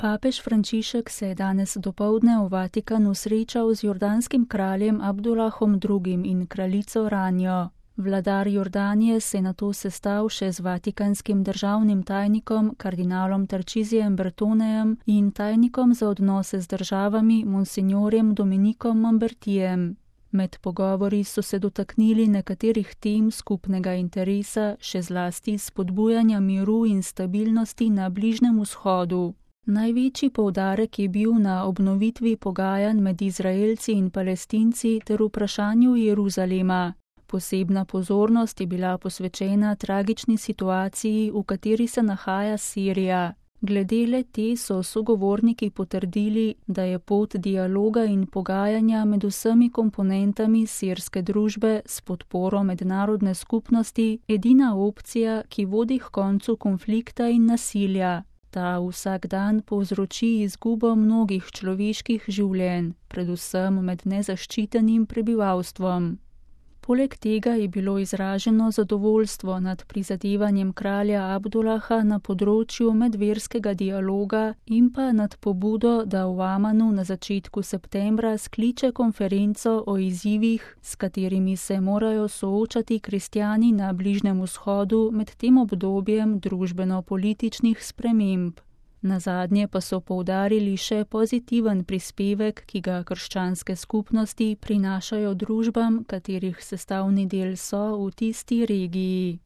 Papež Frančišek se je danes dopoldne v Vatikanu srečal z jordanskim kraljem Abdulahom II. In kraljico Ranjo. Vladar Jordanije se je nato sestal še z vatikanskim državnim tajnikom kardinalom Tarčizijem Bertonejem in tajnikom za odnose z državami monsignorjem Dominikom Mambertijem. Med pogovori so se dotaknili nekaterih tem skupnega interesa, še zlasti spodbujanja miru in stabilnosti na Bližnjem vzhodu. Največji poudarek je bil na obnovitvi pogajanj med Izraelci in Palestinci ter vprašanju Jeruzalema. Posebna pozornost je bila posvečena tragični situaciji, v kateri se nahaja Sirija. Glede le-te so sogovorniki potrdili, da je pot dialoga in pogajanja med vsemi komponentami sirske družbe s podporo mednarodne skupnosti edina opcija, ki vodi k koncu konflikta in nasilja. Ta vsak dan povzroči izgubo mnogih človeških življenj, predvsem med nezaščitenim prebivalstvom. Poleg tega je bilo izraženo zadovoljstvo nad prizadevanjem kralja Abdulaha na področju medverskega dialoga in pa nad pobudo, da v Amanu na začetku septembra skliče konferenco o izzivih, s katerimi se morajo soočati kristjani na Bližnjem vzhodu med tem obdobjem družbeno-političnih sprememb. Nazadnje pa so poudarili še pozitiven prispevek, ki ga krščanske skupnosti prinašajo družbam, katerih sestavni del so v tisti regiji.